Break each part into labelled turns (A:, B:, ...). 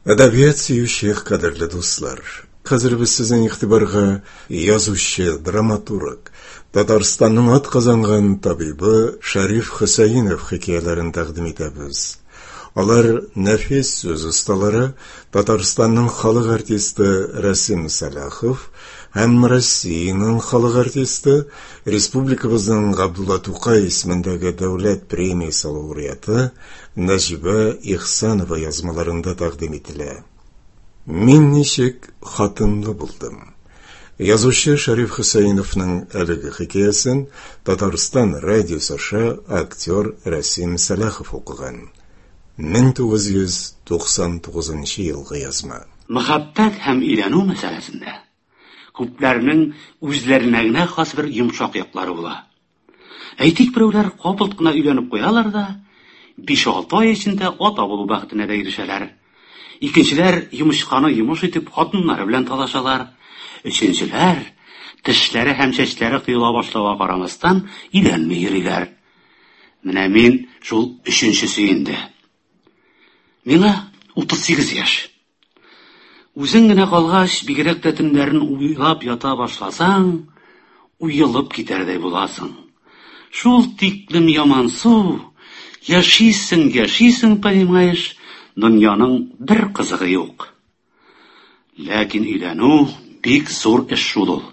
A: Әдәбият сөюче кадерле дуслар, хәзер без сезнең игътибарга язучы, драматург, Татарстанның атказанган табибы Шәриф Хөсәенов хикәяләрен тәкъдим итәбез. Алар нәфис сүз осталары, Татарстанның халык артисты Рәсим Сәлахов һәм Россиянең халык артисты, республикабызның Габдулла Тукай исемендәге дәүләт премиясе лауреаты Нәҗибә Ихсанова язмаларында тәкъдим ителә. Мин ничек хатынлы булдым. Язучы Шәриф Хөсәеновның әлеге хикәясен Татарстан радиосы аша актер Рәсим Сәлахов укыган. 1999 елгы язма.
B: Мәхәббәт һәм өйләнү мәсьәләсендә күпләрнең үзләренә генә хас бер йомшак яклары була. Әйтик, берәүләр капылт кына өйләнеп куялар да, 5-6 ай эчендә ата булу бәхетенә дә ирешәләр. Икенчеләр йомычканы йомыш итеп хатыннары белән талашалар. Өченчеләр тешләре һәм чәчләре коела башлауга карамастан өйләнми йөриләр. Менә мин шул өченчесе инде. Миңа 38 яшь. Үзең генә калгач, бигрәк тә төннәрен уйлап ята башласаң, уелып китәрдәй буласың. Шул тиклем ямансу, яшисең, яшисең, понимаешь, дөньяның бер кызыгы юк. Ләкин өйләнү бик зур эш шул ул.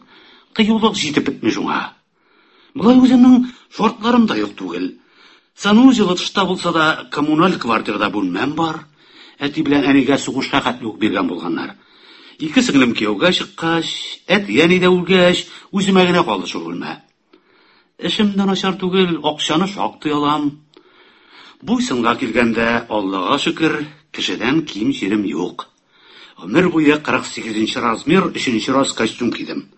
B: Кыюлык җитеп бетми шуңа. Болай үземнең шартларым да юк түгел. Санузелы тышта булса да, коммуналь квартирада бүлмәм бар. Әти белән әнигә сугышка хәтле үк биргән булганнар. Ике сеңлем кияүгә чыккач, әти-әни дә үлгәч, үземә генә калды шул бүлмә. Эшем дә начар түгел, акчаны шактый алам. Буй-сынга килгәндә, Аллага шөкер, кешедән ким җирем юк. Гомер буе 48 нче размер, өченче раз костюм кидем.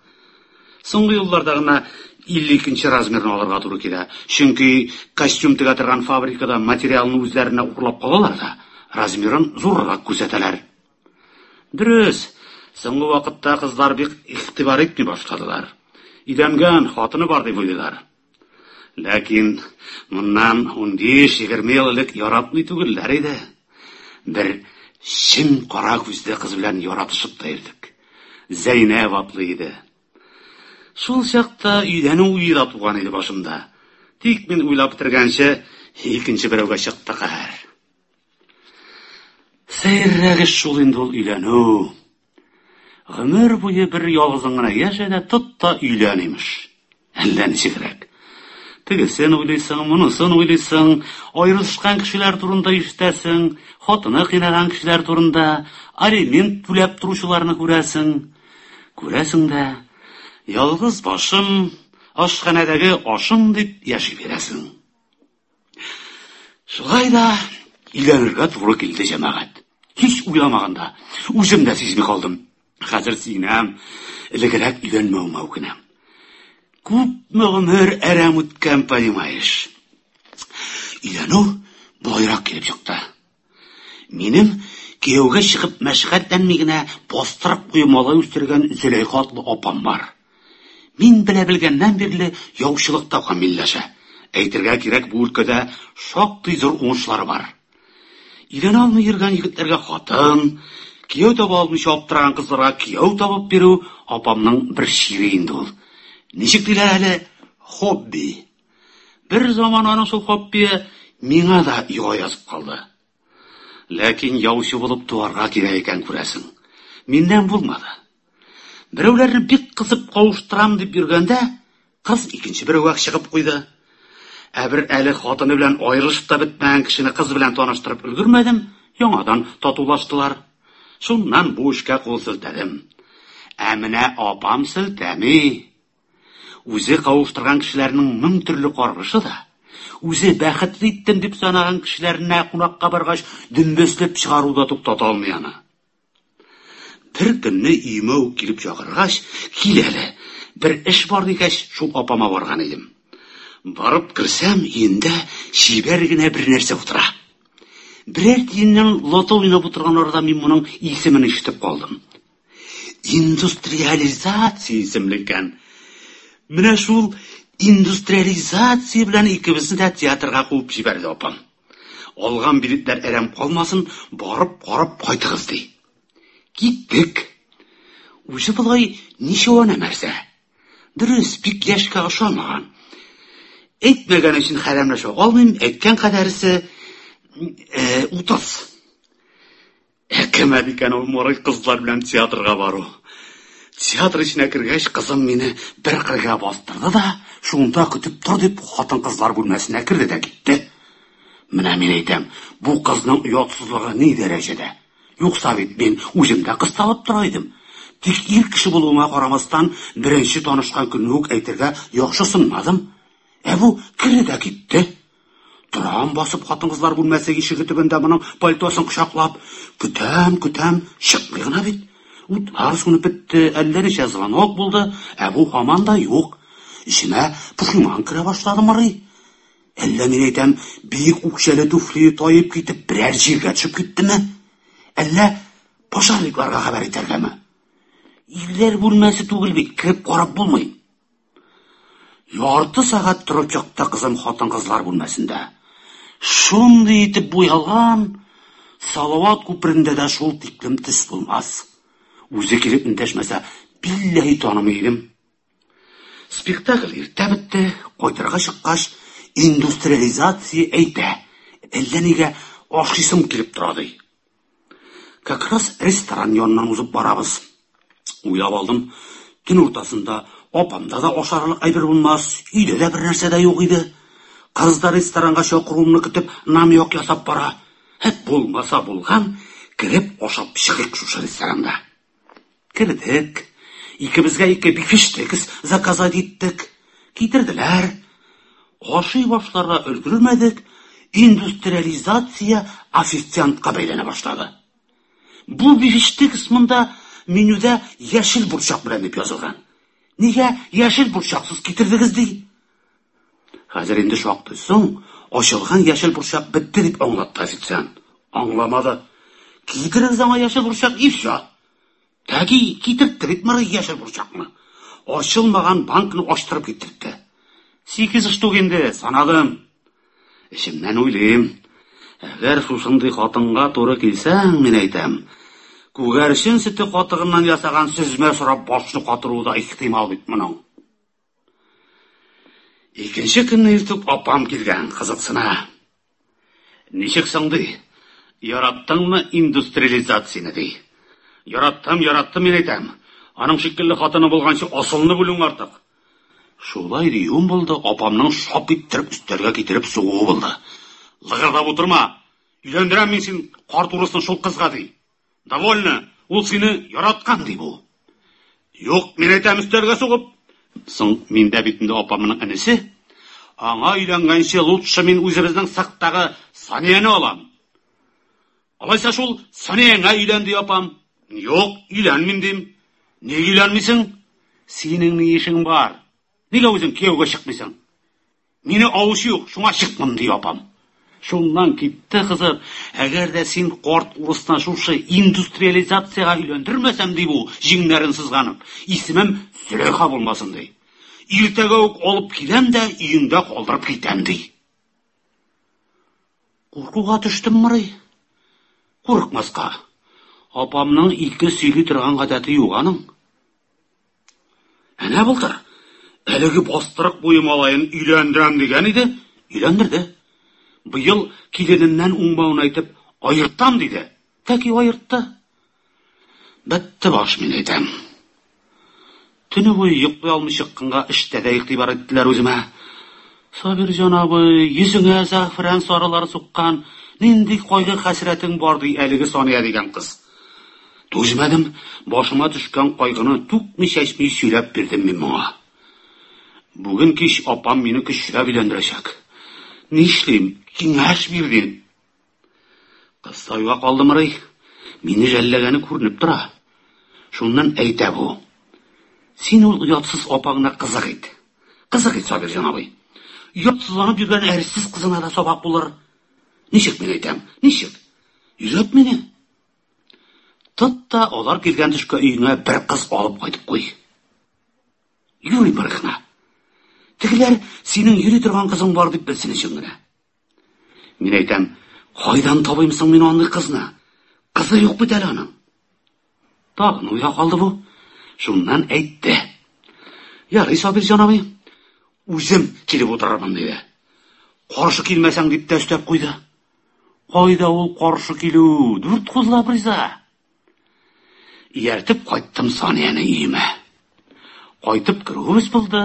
B: Соңгы елларда гына 52 нче размерны алырга туры килә. Чөнки костюм тегә торган фабрикада материалны үзләренә урлап калалар да, размерын зуррак күрсәтәләр. Дөрес, соңгы вакытта кызлар бик игътибар итми башладылар. Өйләнгән, хатыны бар дип уйлыйлар. Ләкин моннан 15-20 ел элек яратмый түгелләр иде. Бер чем кара күзле кыз белән яратышып та йөрдек. Зәйнәб атлы иде. Шул чакта өйләнү уе да туган иде башымда. Тик мин уйлап бетергәнче, икенче берәүгә чыкты каһәр. Сәеррәк эш шул инде ул өйләнү. Гомер буе бер ялгызың гына яшә дә тот та өйлән, имеш. Әллә ничегрәк. Тегесен уйлыйсың, монысын уйлыйсың, аерылышкан кешеләр турында ишетәсең, хатыны кыйнаган кешеләр турында, алимент түләп торучыларны күрәсең. Күрәсең дә, ялгыз башым, ашханәдәге ашым дип яши бирәсең. Шулай да өйләнергә туры килде, җәмәгать. Һич уйламаганда, үзем дә сизми калдым. Хәзер сөенәм, элегрәк өйләнмәвемә үкенәм. Күпме гомер әрәм үткән, понимаешь. Өйләнү болайрак килеп чыкты. Минем кияүгә чыгып мәшәкатьләнми генә бастырып кую малай үстергән Зөләйха атлы апам бар. Мин белә белгәннән бирле яучылыкта камилләшә. Әйтергә кирәк, бу өлкәдә шактый зур уңышлары бар. Өйләнә алмый йөргән егетләргә хатын, кияү таба алмыйча аптыраган кызларга кияү табып бирү апамның бер чире инде ул. Ничек диләр әле? Хобби. Бер заман аның шул хоббие миңа да йога язып калды. Ләкин яучы булып туарга кирәк икән, күрәсең. Миннән булмады. Берәүләрне бик кысып кавыштырам дип йөргәндә, кыз икенче берәүгә чыгып куйды. Ә бер әле хатыны белән аерылышып та бетмәгән кешене кыз белән таныштырып өлгермәдем, яңадан татулаштылар. Шуннан бу эшкә кул селтәдем. Ә менә апам селтәми. Үзе кавыштырган кешеләрнең мең төрле каргышы да, үзе бәхетле иттем дип санаган кешеләренә кунакка баргач, дөмбәсләп чыгару да туктата алмый аны. Бер көнне өемә үк килеп чакыргач, кил әле, бер эш бар дигәч, шул апама барган идем. Барып керсәм, өендә чибәр генә бер нәрсә утыра. Берәр тиеннән лото уйнап утырган арада мин моның исемен ишетеп калдым. Индустриализация исемле икән. Менә шул индустриализация белән икебезне дә театрга куып җибәрде апам. Алган билетлар әрәм калмасын, барып карап кайтыгыз, ди. Киттек. Үзе болай ничего нәрсә. Дөрес, бик яшькә ошамаган. Әйтмәгән өчен хәрәмләшә алмыйм, әйткән кадәресе 30. Әкәмәт икән ул морый кызлар белән театрга бару. Театр эченә кергәч, кызым мине бер кырга бастырды да, шунда көтеп тор дип, хатын-кызлар бүлмәсенә керде дә китте. Менә мин әйтәм, бу кызның оятсызлыгы ни дәрәҗәдә? Юкса бит мин үзем дә кысталып тора идем. Тик ир кеше булуыма карамастан, беренче танышкан көнне үк әйтергә яхшысынмадым. Ә бу керде дә китте. Торам басып хатын-кызлар бүлмәсе ишеге төбендә моның пальтосын кочаклап, көтәм, көтәм, чыкмый гына бит. Утлар сүнеп бетте, әллә ничә звонок булды, ә бу һаман да юк. Эчемә пошиман керә башлады мырый. Әллә мин әйтәм, биек үкчәле туфли таеп китеп берәр җиргә төшеп киттеме? Әллә пожарникларга хәбәр итәргәме? Ирләр бүлмәсе түгел бит, кереп карап булмый. Ярты сәгать торып чыкты кызым хатын-кызлар бүлмәсендә. Шундый итеп буялган, Салават күперендә дә шул тиклем төс булмас. Үзе килеп эндәшмәсә, билләһи танымый идем. Спектакль иртә бетте, кайтырга чыккач, индустриализация әйтә. Әллә нигә ашыйсым килеп тора ди. Как раз ресторан яныннан узып барабыз. Уйлап алдым, төн уртасында апамда да ашарлык әйбер булмас, өйдә дә бер нәрсә дә юк иде. Кыз да ресторанга чакыруымны көтеп, намек ясап бара. Һәт булмаса булган, кереп ашап чыгыйк шушы ресторанда. Кердек. Икебезгә ике бифштекс заказать иттек. Китерделәр. Ашый башларга өлгермәдек, индустриализация официантка бәйләнә башлады. Бу бифштекс монда менюда яшел борчак белән дип язылган. Нигә яшел борчаксыз китердегез ди? Хәзер инде шактый соң, ачылган яшел борчак бетте дип аңлатты официант. Аңламады. Китерегез аңа яшел борчак и всё. Тәки китертте бит мырый яшел борчакны. Ачылмаган банкны ачтырып китертте. 8 штук инде, санадым. Эчемнән уйлыйм. Әгәр шушындый хатынга туры килсәң, мин әйтәм, күгәрчен сөте катыгыннан ясаган сөзмә сорап башны катыруы да ихтимал бит моның. Икенче көнне иртүк апам килгән, кызыксына. Ничек соң ди? Яраттыңмы индустриализацияне ди? Яраттым, яраттым мин әйтәм. Аның шикелле хатыны булганчы асылны бүлүң артык. Шулай диюем булды, апамның шап иттереп өстәлгә китереп сугуы булды. Лыгырдап утырма. Өйләндерәм мин син карт урысны шул кызга ди. Довольно, ул сине яраткан ди бу. Юк, мин әйтәм өстәлгә сугып. Соң миндә бит инде апамның энесе. Аңа өйләнгәнче лучше мин үзебезнең сыктагы Санияне алам. Алайса шул Санияңә өйлән ди апам. Юк, өйләнмим дим. Нигә өйләнмисең? Синең ни эшең бар? Нигә үзең кияүгә чыкмыйсың? Мине алучы юк, шуңа чыкмам ди апам. Шуннан китте кызып. Әгәр дә син карт урысны шушы индустриализациягә өйләндермәсәм ди бу, җиңнәрен сызганып, исемем Зөләйха булмасын ди. Иртәгә үк алып киләм дә өеңдә калдырып китәм ди. Куркуга төштем мырый. Курыкмаска. Апамның ике сөйли торган гадәте юк аның. Әнә былтыр әлеге бастырык буе малаен өйләндерәм дигән иде, өйләндерде. Быел килененнән уңмавын әйтеп, аертам диде. Тәки аертты. Бетте баш мин әйтәм. Төне буе йоклый алмый чыкканга эштә дә игътибар иттеләр үземә. Сабирҗан абый, йөзеңә зәгъфран сарылары суккан, нинди кайгы хәсрәтең бар ди әлеге Сания дигән кыз. Түзмәдем, башыма төшкән кайгыны түкми-чәчми сөйләп бирдем мин моңа. Бүген кич апам мине көчләп өйләндерәчәк. Нишлим? Киңәш бир дим. Кыз тайга калды мырый. Мине жәлләгәне күренеп тора. Шуннан әйтә бу. Син ул оятсыз апаңны кызык ит. Кызык ит, Сабирҗан абый. Оятсызланып йөргән әрсез кызына да сабак булыр. Ничек мин әйтәм? Ничек? Өйрәт мине. Тот та алар килгән төшкә өеңә бер кыз алып кайтып куй. Юри бер генә. Тегеләр синең йөри торган кызың бар дип белсен өчен генә. Мин әйтәм, Кайдан табыйм соң мин андый кызны? Кызы юк бит әле аның. Тагын уйга калды бу. Шуннан әйтте. Ярый, Сабирҗан абый, үзем килеп утырырмын, диде. Каршы килмәсәң, дип тә өстәп куйды. Кайда ул каршы килү? Дүрт куллап риза. Ияртеп кайттым Санияне өемә. Кайтып керүебез булды.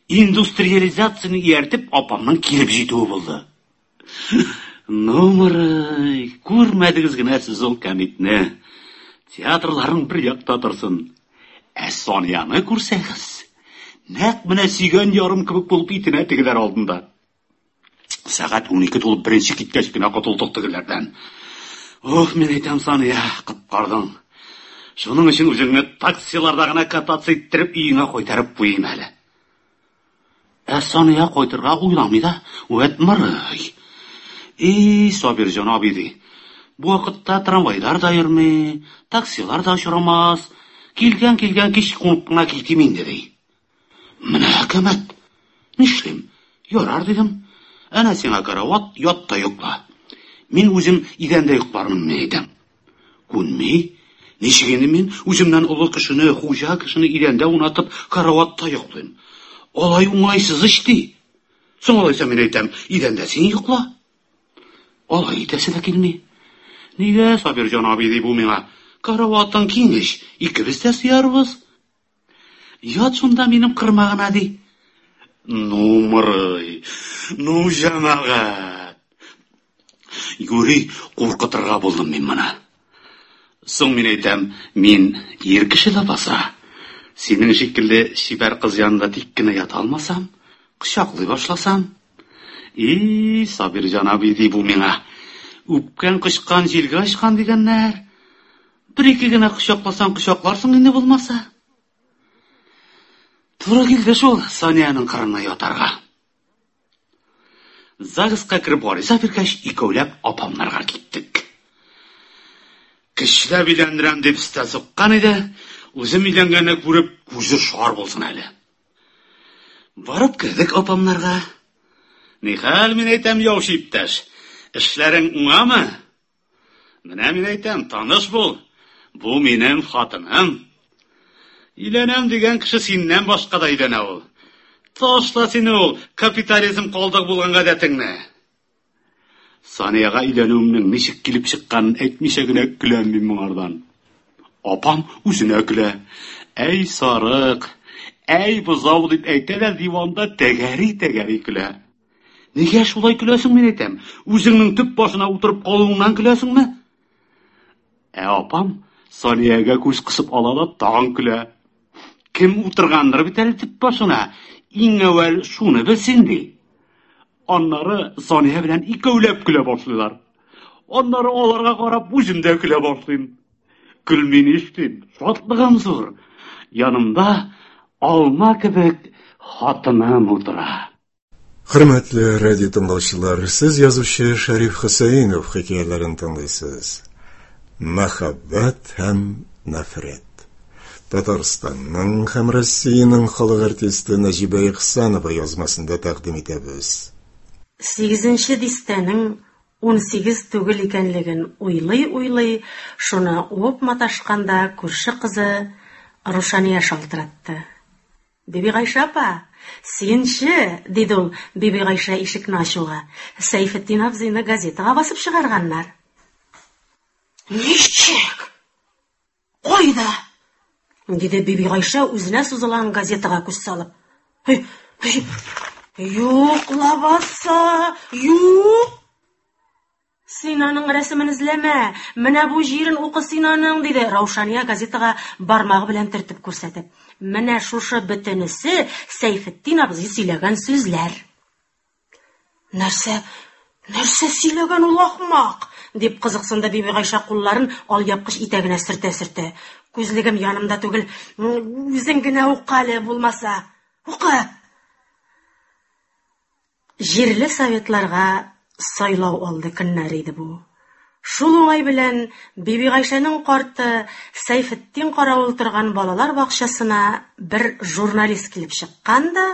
B: Индустриализацияне ияртеп апамның килеп җитүе булды. Ну, Мырый, күрмәдегез генә сез ул кәмитне. Театрларың бер якта торсын. Ә Санияне күрсәгез, нәкъ менә сөйгән ярым кебек булып итенә тегеләр алдында. Сәгать 12 тулып беренче киткәч кенә котылдык тегеләрдән. Ох, мин әйтәм, Сания, коткардың. Шуның өчен үзеңне таксиларда гына кататься иттереп өеңә кайтарып куйыйм әле. Ә Сания кайтырга уйламый да, вәт мырый. И, Сабирҗан абый ди. Бу вакытта трамвайлар да йөрми, таксилар да очрамас. Килгән-килгән кич кунып кына китим инде ди. Менә әкәмәт. Нишлим? Ярар дидем. Әнә сиңа карават, ят та йокла. Мин үзем идәндә йоклармын, мин әйтәм. Күнми. Ничек инде мин үземнән олы кешене, хуҗа кешене идәндә унатып, караватта йоклыйм? Алай уңайсыз ич ди. Соң алайса мин әйтәм, идәндә син йокла. Алай итәсе дә килми. Нигә, Сабирҗан абый, ди бу миңа, караватың киң ич, икебез дә сыярбыз. Ят шунда минем кырма гына, ди. Ну, мырый, ну, җәмәгать. Юри куркытырга булдым мин моны. Соң мин әйтәм, мин ир кеше ләбаса. Синең шикелле чибәр кыз янында тик кенә ята алмасам, кочаклый башласам. И, Сабирҗан абый, ди бу миңа. Үпкән кочкан җилгә очкан дигәннәр. Бер-ике генә кочакласаң кочакларсың инде булмаса. Туры килде шул Саниянең кырына ятарга. ЗАГСка кереп гариза биргәч, икәүләп апамнарга киттек. Көчләп өйләндерәм дип өстәл суккан иде, үзем өйләнгәнне күреп, күзе шар булсын әле. Барып кердек апамнарга. Нихәл, мин әйтәм, яучы иптәш, эшләрең уңамы? Менә мин әйтәм, таныш бул. Бу минем хатыным. Өйләнәм дигән кеше синнән башка да өйләнә ул. Ташла син ул капитализм калдыгы булган гадәтеңне. Саниягә өйләнүемнең ничек килеп чыкканын әйтмичә генә көләм мин моңардан. Апам үзенә көлә. Әй сарык, әй бозау дип әйтә дә диванда тәгәри-тәгәри көлә. Нигә шулай көләсең, мин әйтәм? Үзеңнең төп башына утырып калуыңнан көләсеңме? Ә апам Саниягә күз кысып ала да тагын көлә. Кем утыргандыр бит әле төп башына? Иң әүвәл шуны белсен ди. Аннары Сания белән икәүләп көлә башлыйлар. Аннары аларга карап үзем дә көлә башлыйм. Көлми нишлим? Шатлыгым зур. Янымда алма кебек хатыным утыра.
A: Хөрмәтле радио тыңлаучылар, сез язучы Шәриф Хөсәенов хикәяләрен тыңлыйсыз. Мәхәббәт һәм нәфрәт. Татарстанның һәм Россиянең халык артисты Нәҗибә Ихсанова язмасында тәкъдим итәбез.
C: Сигезенче дистәнең 18 түгел икәнлеген уйлый-уйлый, шуны уып маташканда күрше кызы Рушания шалтыратты. Бибигайшә апа, сөенче, диде ул, Бибигайшә ишекне ачуга. Сәйфетдин абзыйны газетага басып чыгарганнар. Ничек? Кайда? диде Бибигайшә үзенә сузылган газетага күз салып. Юк лабаса, юк! Син аның рәсемен эзләмә, менә бу җирен укы син аның, диде Раушания газетага бармагы белән төртеп күрсәтеп. Менә шушы бөтенесе Сәйфетдин абзый сөйләгән сүзләр. Нәрсә, нәрсә сөйләгән ул ахмак? дип кызыксынды Бибигайшә кулларын алъяпкыч итәгенә сөртә-сөртә. Күзлегем янымда түгел, үзең генә укы әле булмаса. Укы! Җирле советларга сайлау алды көннәр иде бу. Шул уңай белән Бибигайшәнең карты Сәйфетдин каравыл торган балалар бакчасына бер журналист килеп чыккан да,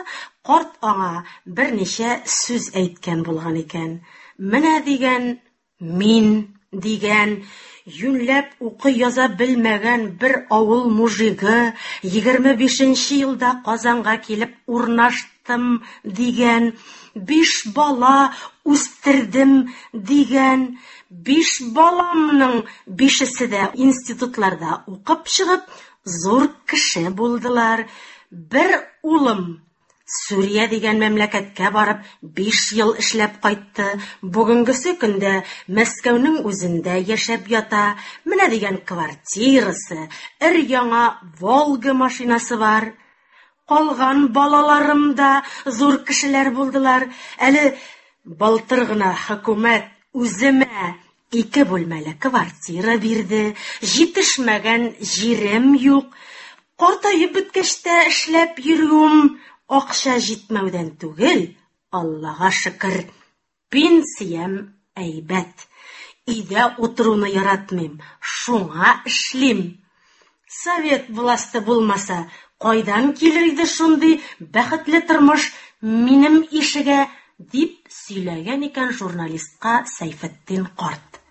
C: карт аңа берничә сүз әйткән булган икән. Менә дигән. Мин, дигән, юньләп укый-яза белмәгән бер авыл мужигы, 25 нче елда Казанга килеп урнаштым, дигән, биш бала үстердем, дигән, биш баламның бишесе дә институтларда укып чыгып, зур кеше булдылар. Бер улым Сүрия дигән мәмләкәткә барып, биш ел эшләп кайтты. Бүгенгесе көндә Мәскәүнең үзендә яшәп ята. Менә дигән квартирасы, өр-яңа Волга машинасы бар. Калган балаларым да зур кешеләр булдылар. Әле былтыр гына хөкүмәт үземә ике бүлмәле квартира бирде. Җитешмәгән җирем юк. Картаеп беткәч тә эшләп йөрүем акча җитмәүдән түгел, Аллага шөкер, пенсиям әйбәт. Өйдә утыруны яратмыйм, шуңа эшлим. Совет власте булмаса, кайдан килер иде шундый бәхетле тормыш минем ишегә, дип сөйләгән икән журналистка Сәйфетдин карт.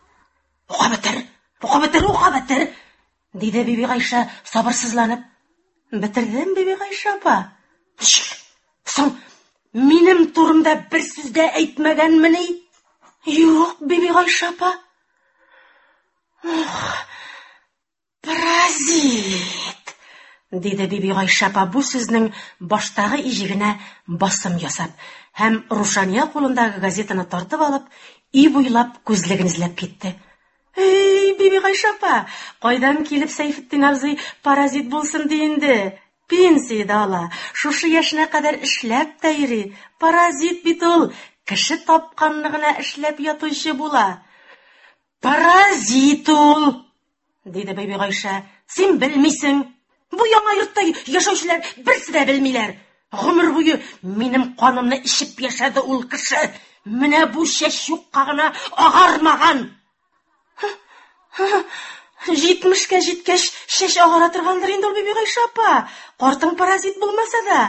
C: Укып бетер, укып бетер, укып бетер, диде Бибигайшә сабырсызланып. Бетердем, Бибигайшә апа. Ничек? Соң минем турымда бер сүз дә әйтмәгәнмени? Юк, Бибигайшә апа. Ох, паразит! диде Бибигайшә апа бу сүзнең баштагы иҗегенә басым ясап һәм Рушания кулындагы газетаны тартып алып, өй буйлап күзлеген эзләп китте. Эй, Бибигайшә апа, кайдан килеп Сәйфетдин абзый паразит булсын ди инде? Пенсия дә ала, шушы яшенә кадәр эшләп тә йөри. Паразит бит ул, кеше тапканны гына эшләп ятучы була. Паразит ул, диде Бибигайшә. Син белмисең. Бу яңа йортта яшәүчеләр берсе дә белмиләр. Гомер буе минем канымны эчеп яшәде ул кеше. Менә бу чәч юкка гына агармаган. Җитмешкә җиткәч, чәч агара торгандыр инде ул, Бибигайшә апа. Картың паразит булмаса да,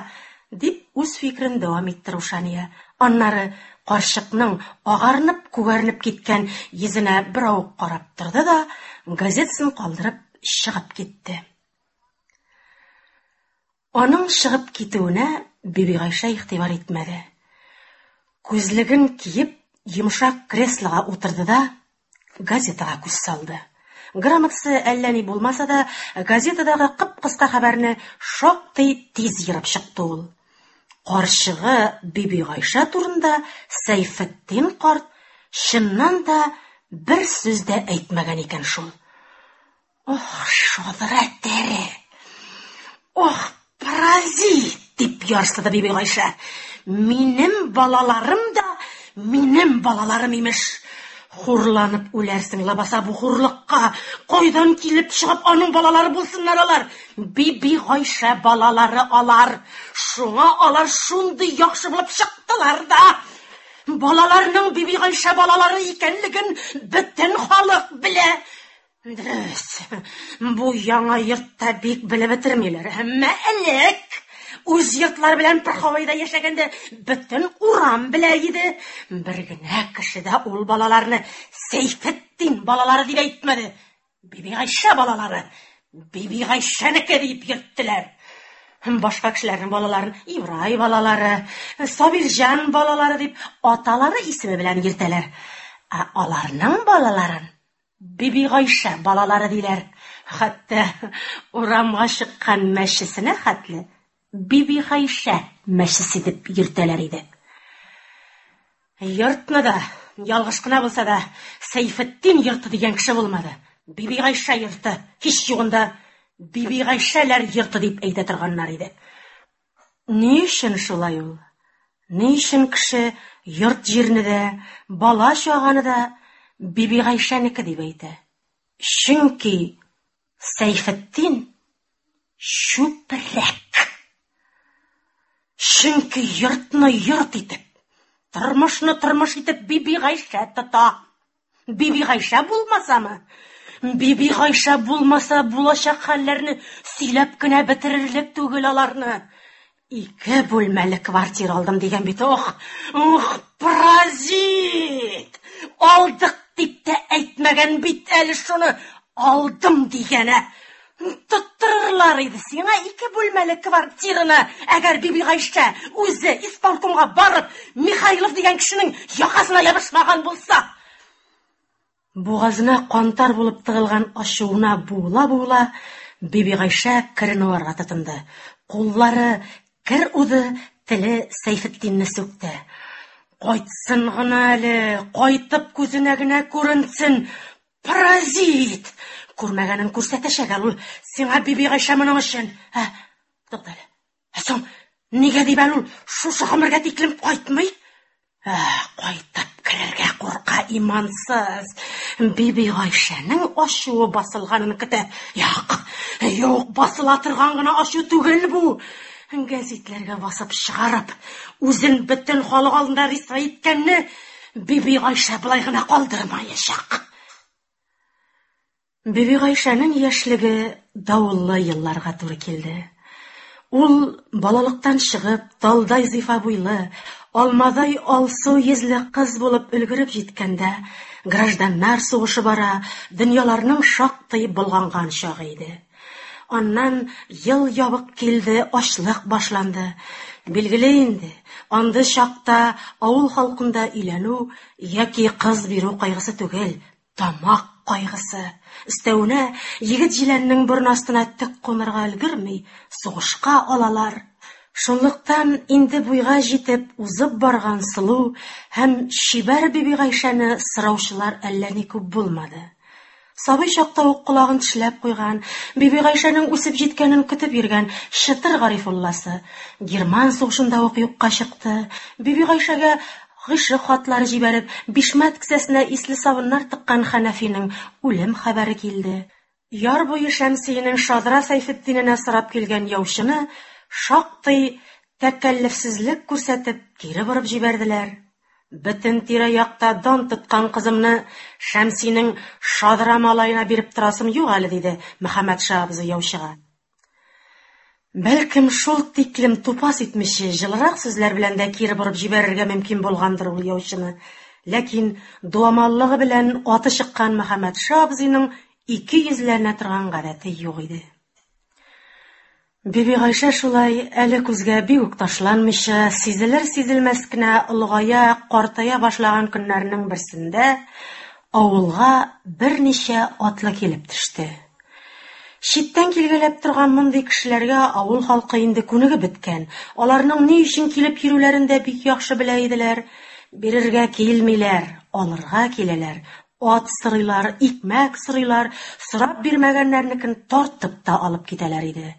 C: дип үз фикерен дәвам итте Рушания. Аннары карчыкның агарынып-күгәренеп киткән йөзенә беравык карап торды да, газетасын калдырып чыгып китте. Аның чыгып китүенә Бибигайшә игътибар итмәде. Күзлеген киеп, йомшак креслога утырды да, газетага күз салды. Грамотасы әллә ни булмаса да, газетадагы кып-кыска хәбәрне шактый тиз ерып чыкты ул. Карчыгы Бибигайшә турында Сәйфетдин карт чыннан да бер сүз дә әйтмәгән икән шул. Ох, шадра тәре! Ох, паразит! дип ярсыды Бибигайшә. Минем балаларым да минем балаларым имеш. Хурланып үләрсең лабаса бу хурлыкка. Кайдан килеп чыгып аның балалары булсыннар алар? Бибигайшә балалары алар. Шуңа алар шундый яхшы булып чыктылар да. Балаларның Бибигайшә балалары икәнлеген бөтен халык белә. Дөрес, бу яңа йортта бик белеп бетермиләр, әмма элек үз йортлары белән Порховойда яшәгәндә бөтен урам белә иде. Бер генә кеше дә ул балаларны Сәйфетдин балалары дип әйтмәде. Бибигайшә балалары, Бибигайшәнеке дип йөрттеләр. Башка кешеләрнең балаларын Ибрай балалары, Сабирҗан балалары дип аталары исеме белән йөртәләр. Ә аларның балаларын Бибигайшә балалары диләр. Хәтта урамга чыккан мәчесенә хәтле Бибигайшә мәчесе дип йөртәләр иде. Йортны да, ялгыш кына булса да, Сәйфетдин йорты дигән кеше булмады. Бибигайшә йорты, һич югында Бибигайшәләр йорты дип әйтә торганнар иде. Ни өчен шулай ул? Ни өчен кеше йорт-җирне дә, бала-чаганы да Бибигайшәнеке дип әйтә? Чөнки Сәйфетдин чүпрәк. Чөнки йортны йорт итеп, тормышны тормыш итеп Бибигайшә тота. Бибигайшә булмасамы? Бибигайшә булмаса, булачак хәлләрне сөйләп кенә бетерерлек түгел аларны. Ике бүлмәле квартира алдым дигән бит. Ох, ох, паразит! Алдык. дип тә әйтмәгән бит әле шуны. Алдым дигәне. Тоттырырлар иде сиңа ике бүлмәле квартираны, әгәр Бибигайшә үзе исполкомга барып, Михайлов дигән кешенең якасына ябышмаган булса. Бугазына кантар булып тыгылган ачуына буыла-буыла, Бибигайшә керен уарга тотынды. Куллары кер уды, теле Сәйфетдинне сүкте. Кайтсын гына әле, кайтып күзенә генә күренсен, паразит! Күрмәгәнен күрсәтәчәк әле ул сиңа Бибигайшә моның өчен. Ә, туктале. Ә соң нигә дип әле ул шушы гомергә тиклем кайтмый? Ә, кайтып керергә курка имансыз. Бибигайшәнең ачуы басылганын көтә. Юк, юк, басыла торган гына ачу түгел бу. Гәзитләргә басып чыгарып, үзен бөтен халык алдында рисвай иткәнне Бибигайшә болай гына калдырмаячак. Бибигайшәнең яшьлеге давыллы елларга туры килде. Ул балалыктан чыгып, талдай зифа буйлы, алмадай алсу йөзле кыз булып өлгереп җиткәндә, гражданнар сугышы бара, дөньяларның шактый болганган чагы иде. Аннан ел ябык килде, ачлык башланды. Билгеле инде, андый чакта авыл халкында өйләнү яки кыз бирү кайгысы түгел, тамак кайгысы. Өстәвенә, егет-җиләннең борын астына төк кунырга өлгерми, сугышка алалар. Шунлыктан инде буйга җитеп узып барган сылу һәм чибәр Бибигайшәне сораучылар әллә ни күп булмады. Сабый чакта ук колагын тешләп куйган, Бибигайшәнең үсеп җиткәнен көтеп йөргән Чытыр Гарифулласы герман сугышында ук юкка чыкты. Бибигайшәгә гыйшык хатлары җибәреп, бишмәт кесәсенә исле сабыннар тыккан Хәнәфинең үлем хәбәре килде. Яр буе Шәмсиенең шадра Сәйфетдиненә сорап килгән яучыны шактый тәкәллефсезлек күрсәтеп кире борып җибәрделәр. Бөтен тирә-якта дан тоткан кызымны Шәмсинең шадра малаена биреп торасым юк әле, диде Мөхәммәтша абзый яучыга. Бәлкем, шул тиклем тупас итмичә, җылырак сүзләр белән дә кире борып җибәрергә мөмкин булгандыр ул яучыны. Ләкин дуамаллыгы белән аты чыккан Мөхәммәтша абзыйның ике йөзләнә торган гадәте юк иде. Бибигайшә шулай әле күзгә бик үк ташланмыйча, сизелер-сизелмәс кенә олыгая, картая башлаган көннәрнең берсендә авылга берничә атлы килеп төште. Читтән килгәләп торган мондый кешеләргә авыл халкы инде күнегеп беткән. Аларның ни өчен килеп йөрүләрен дә бик яхшы белә иделәр. Бирергә килмиләр, алырга киләләр. Ат сорыйлар, икмәк сорыйлар, сорап бирмәгәннәрнекен тартып та алып китәләр иде.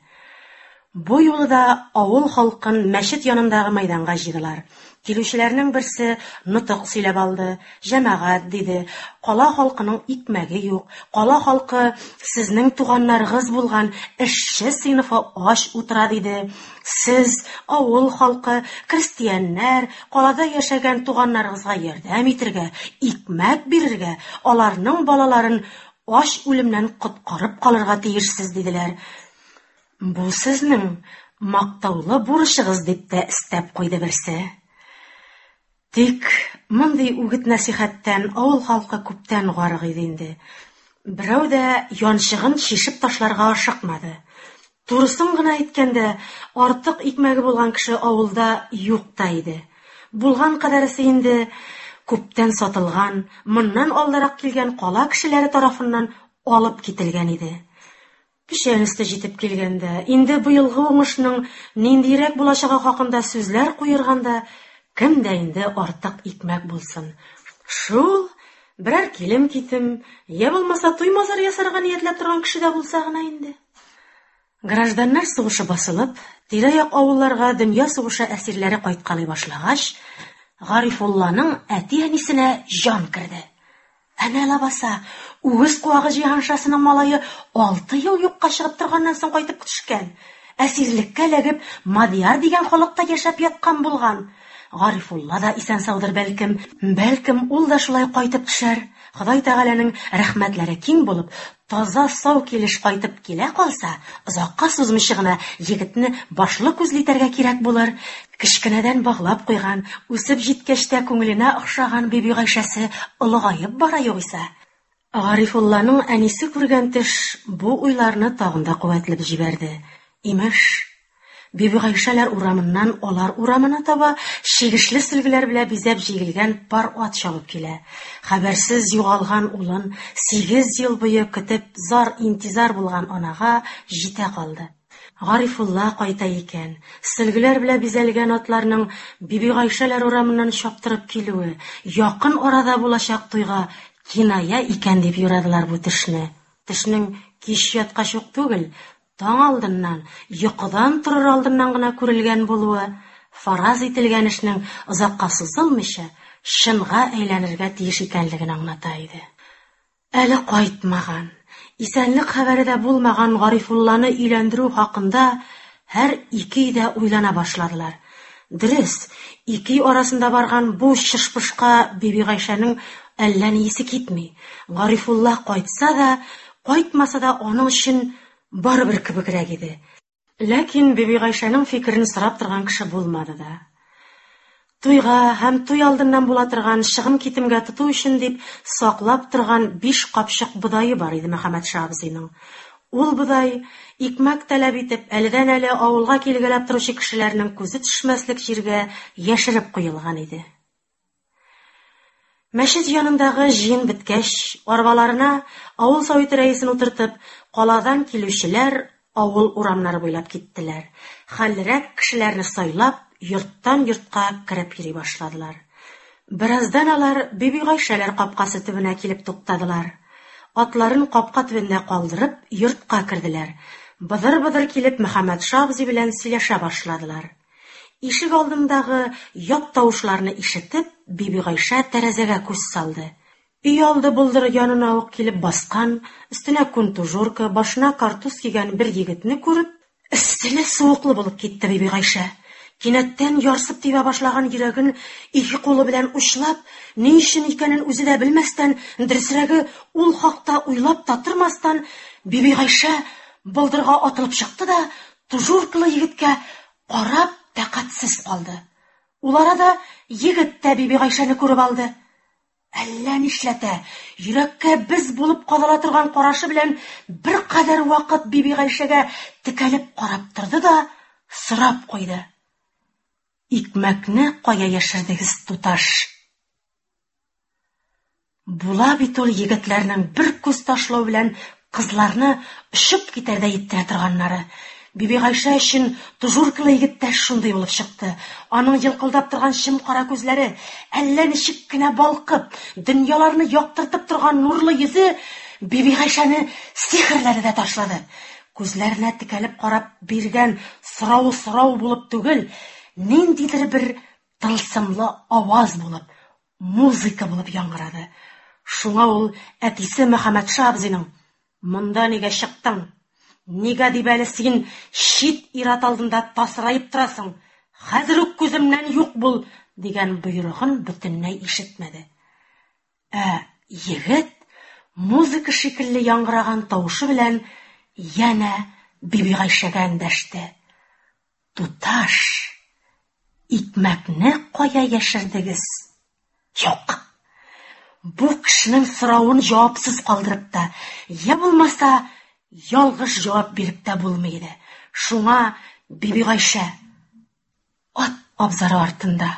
C: Бу юлы да авыл халкын мәчет янындагы мәйданга җыйдылар. Килүчеләрнең берсе нотык сөйләп алды. Җәмәгать, диде, кала халкының икмәге юк. Кала халкы сезнең туганнарыгыз булган эшче сыйныфы ач утыра, диде. Сез, авыл халкы, крестьяннар, калада яшәгән туганнарыгызга ярдәм итергә, икмәк бирергә, аларның балаларын ач үлемнән коткарып калырга тиешсез, диделәр. Бу сезнең мактаулы бурычыгыз, дип тә өстәп куйды берсе. Тик мондый үгет-нәсихәттән авыл халкы күптән гарык иде инде. Берәү дә янчыгын чишеп ташларга ашыкмады. Турысын гына әйткәндә, артык икмәге булган кеше авылда юк та иде. Булган кадәресе инде күптән сатылган, моннан алдарак килгән кала кешеләре тарафыннан алып кителгән иде. Печән өсте җитеп килгәндә, инде быелгы уңышның ниндирәк булачагы хакында сүзләр куерганда, кемдә инде артык икмәк булсын? Шул берәр килем-китем, я булмаса туй-мазар ясарга ниятләп торган кеше дә булса гына инде. Гражданнар сугышы басылып, тирә-як авылларга дөнья сугышы әсирләре кайткалый башлагач, Гарифулланың әти-әнисенә җан керде. Әнә ләбаса, үгез куагы Җиһаншасының малае 6 ел юкка чыгып торганнан соң кайтып төшкән. Әсирлеккә эләгеп, Мадьяр дигән халыкта яшәп яткан булган. Гарифулла да исән-саудыр бәлкем, бәлкем ул да шулай кайтып төшәр. Ходай Тәгаләнең рәхмәтләре киң булып, таза-сау килеш кайтып килә калса, озакка сузмыйча гына егетне башлы-күзле итәргә кирәк булыр. Кечкенәдән баглап куйган, үсеп җиткәч тә күңеленә охшаган Бибигайшәсе олыгаеп бара югыйсә. Гарифулланың әнисе күргән төш бу уйларны тагын да куәтләп җибәрде. Имеш, Бибигайшәләр урамыннан алар урамына таба чигешле сөлгеләр белән бизәп җигелгән пар ат чабып килә. Хәбәрсез югалган улын 8 ел буе көтеп зар-интизар булган анага җитә калды. Гарифулла кайта икән. Сөлгеләр белән бизәлгән атларның Бибигайшәләр урамыннан чаптырып килүе якын арада булачак туйга киная икән дип юрадылар бу төшне. Төшнең кич яткач ук түгел, таң алдыннан, йокыдан торыр алдыннан гына күрелгән булуы, фараз ителгән эшнең озакка сузылмыйча, чынга әйләнергә тиеш икәнлеген аңлата иде. Әле кайтмаган, исәнлек хәбәре дә булмаган Гарифулланы өйләндерү хакында һәр ике өйдә уйлана башладылар. Дөрес, ике өй арасында барган бу чышпышка Бибигайшәнең әллә ни исе китми. Гарифулла кайтса да, кайтмаса да аның өчен барыбер кебегрәк иде. Ләкин Бибигайшәнең фикерен сорап торган кеше булмады да. Туйга һәм туй алдыннан була торган чыгым-китемгә тоту өчен дип саклап торган 5 капчык бодае бар иде Мөхәммәтша абзыйның. Ул бодай, икмәк таләп итеп, әледән-әле авылга килгәләп торучы кешеләрнең күзе төшмәслек җиргә яшереп куелган иде. Мәчет янындагы җыен беткәч, арбаларына авыл советы рәисен утыртып, каладан килүчеләр авыл урамнары буйлап киттеләр. Хәллерәк кешеләрне сайлап, йорттан йортка кереп йөри башладылар. Бераздан алар Бибигайшәләр капкасы төбенә килеп туктадылар. Атларын капка төбендә калдырып, йортка керделәр. Быдыр-быдыр килеп Мөхәммәтша абзый белән сөйләшә башладылар. Ишек алдындагы ят тавышларны ишетеп, Бибигайшә тәрәзәгә күз салды. Өй алды болдыры янына ук килеп баскан, өстенә күн тужурка, башына картуз кигән бер егетне күреп, эсселе-суыклы булып китте Бибигайшә. Кинәттән ярсып тибә башлаган йөрәген ике кулы белән учлап, ни өчен икәнен үзе дә белмәстән, дөресрәге, ул хакта уйлап та тормастан, Бибигайшә болдырга атылып чыкты да тужуркалы егеткә карап тәкатьсез калды. Ул арада егет тә Бибигайшәне күреп алды. Әллә нишләтә, йөрәккә без булып кадала торган карашы белән беркадәр вакыт Бибигайшәгә текәлеп карап торды да сорап куйды. Икмәкне кая яшердегез, туташ? Була бит ул егетләрнең бер күз ташлау белән кызларны очып китәрдәй иттерә торганнары. Бибигайшә өчен тужуркалы егет тә шундый булып чыкты. Аның йылкылдап торган чем кара күзләре, әллә ничек кенә балкып, дөньяларны яктыртып торган нурлы йөзе Бибигайшәне сихерләде дә ташлады. Күзләренә текәлеп карап биргән сорауы сорау булып түгел, ниндидер бер тылсымлы аваз булып, музыка булып яңгырады. Шуңа ул әтисе Мөхәммәтша абзыйның: "Монда нигә чыктың? Нигә дип әле син чит ир-ат алдында тасыраеп торасың? Хәзер үк күземнән юк бул!" дигән боерыгын бөтенләй ишетмәде. Ә егет музыка шикелле яңгыраган тавышы белән янә Бибигайшәгә эндәште. Туташ, икмәкне кая яшердегез? Юк. Бу кешенең соравын җавапсыз калдырып та, я булмаса, ялгыш җавап биреп тә булмый иде. Шуңа Бибигайшә ат абзары артында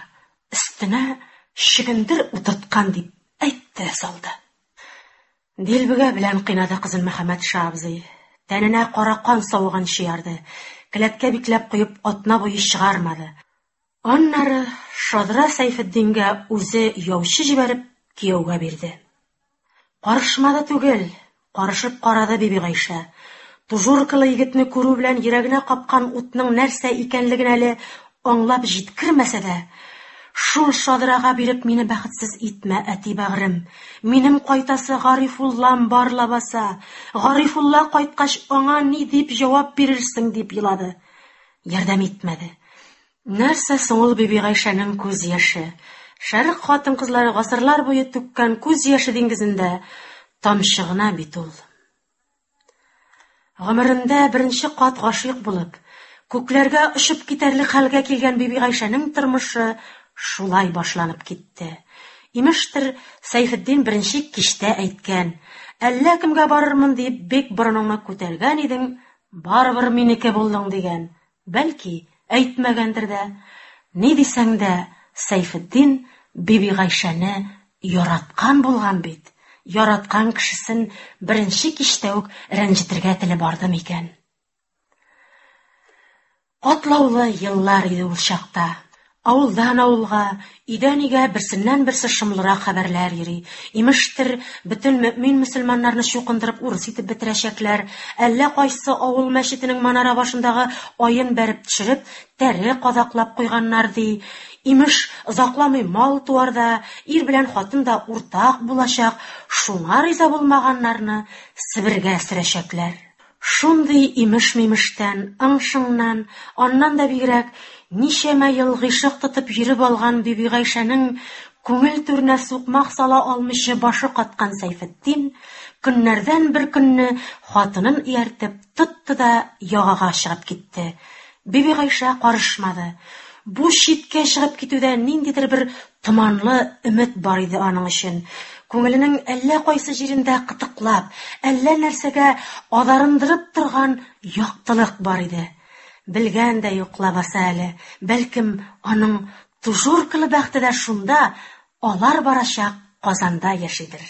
C: өстенә чөгендер утырткан дип әйтте дә салды. Дилбегә белән кыйнады кызын Мөхәммәтша абзый. Тәненә кара кан савыганчы ярды. Келәткә бикләп куеп атна буе чыгармады. Аннары Шадра Сәйфетдингә үзе яучы җибәреп кияүгә бирде. Карышмады түгел, карышып карады Бибигайшә. Тужуркалы егетне күрү белән йөрәгенә капкан утның нәрсә икәнлеген әле аңлап җиткермәсә дә, шул Шадрага биреп мине бәхетсез итмә, әти бәгърем. Минем кайтасы Гарифуллам бар лабаса. Гарифулла кайткач аңа ни дип җавап бирерсең дип елады. Ярдәм итмәде. Нәрсә соң ул Бибигайшәнең күз яше? Шәрык хатын-кызлары гасырлар буе түккән күз яше диңгезендә тамчы гына бит ул. Гомерендә беренче кат гашыйк булып, күкләргә очып китәрлек хәлгә килгән Бибигайшәнең тормышы шулай башланып китте. Имештер, Сәйфетдин беренче кичтә әйткән: "Әллә кемгә барырмын дип бик борыныңны күтәргән идең, барыбер минеке булдың", дигән. Бәлки, әйтмәгәндер дә. Ни дисәң дә, Сәйфетдин Бибигайшәне яраткан булган бит. Яраткан кешесен беренче кичтә үк рәнҗетергә теле барды микән? Катлаулы еллар иде ул чакта. Авылдан авылга, өйдән өйгә берсеннән-берсе шомлырак хәбәрләр йөри. Имештер, бөтен мөэмин-мөселманнарны чукындырып урыс итеп бетерәчәкләр, әллә кайсы авыл мәчетенең манара башындагы аен бәреп төшереп, тәре кадаклап куйганнар, ди. Имеш, озакламый мал-туар да, ир белән хатын да уртак булачак, шуңа риза булмаганнарны Себергә сөрәчәкләр. Шундый имеш-мимештән, ың-шыңнан, аннан да бигрәк, ничәмә ел гыйшык тотып йөреп алган Бибигайшәнең күңел түренә сукмак сала алмыйча башы каткан Сәйфетдин, көннәрдән бер көнне хатынын ияртеп тотты да ягага чыгып китте. Бибигайшә карышмады. Бу читкә чыгып китүдә ниндидер бер томанлы өмет бар иде аның өчен. Күңеленең әллә кайсы җирендә кытыклап, әллә нәрсәгә адарындырып торган яктылык бар иде. Белгән дә юк лабаса әле, бәлкем, аның тужуркалы бәхте дә шунда, алар барачак Казанда яшидер.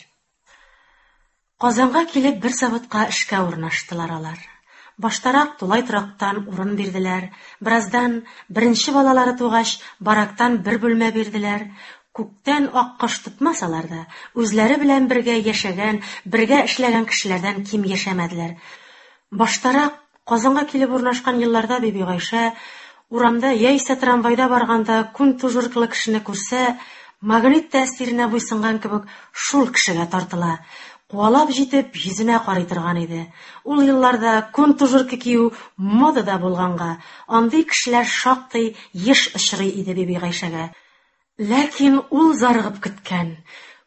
C: Казанга килеп бер заводка эшкә урнаштылар алар. Баштарак тулай торактан урын бирделәр, бераздан, беренче балалары тугач, барактан бер бүлмә бирделәр. Күктән аккош тотмасалар да, үзләре белән бергә яшәгән, бергә эшләгән кешеләрдән ким яшәмәделәр. Баштарак, Казанга килеп урнашкан елларда Бибигайшә урамда яисә трамвайда барганда күн тужуркалы кешене күрсә, магнит тәэсиренә буйсынган кебек шул кешегә тартыла, куалап җитеп, йөзенә карый торган иде. Ул елларда күн тужурка кию модада булганга, андый кешеләр шактый еш очрый иде Бибигайшәгә. Ләкин ул зарыгып көткән,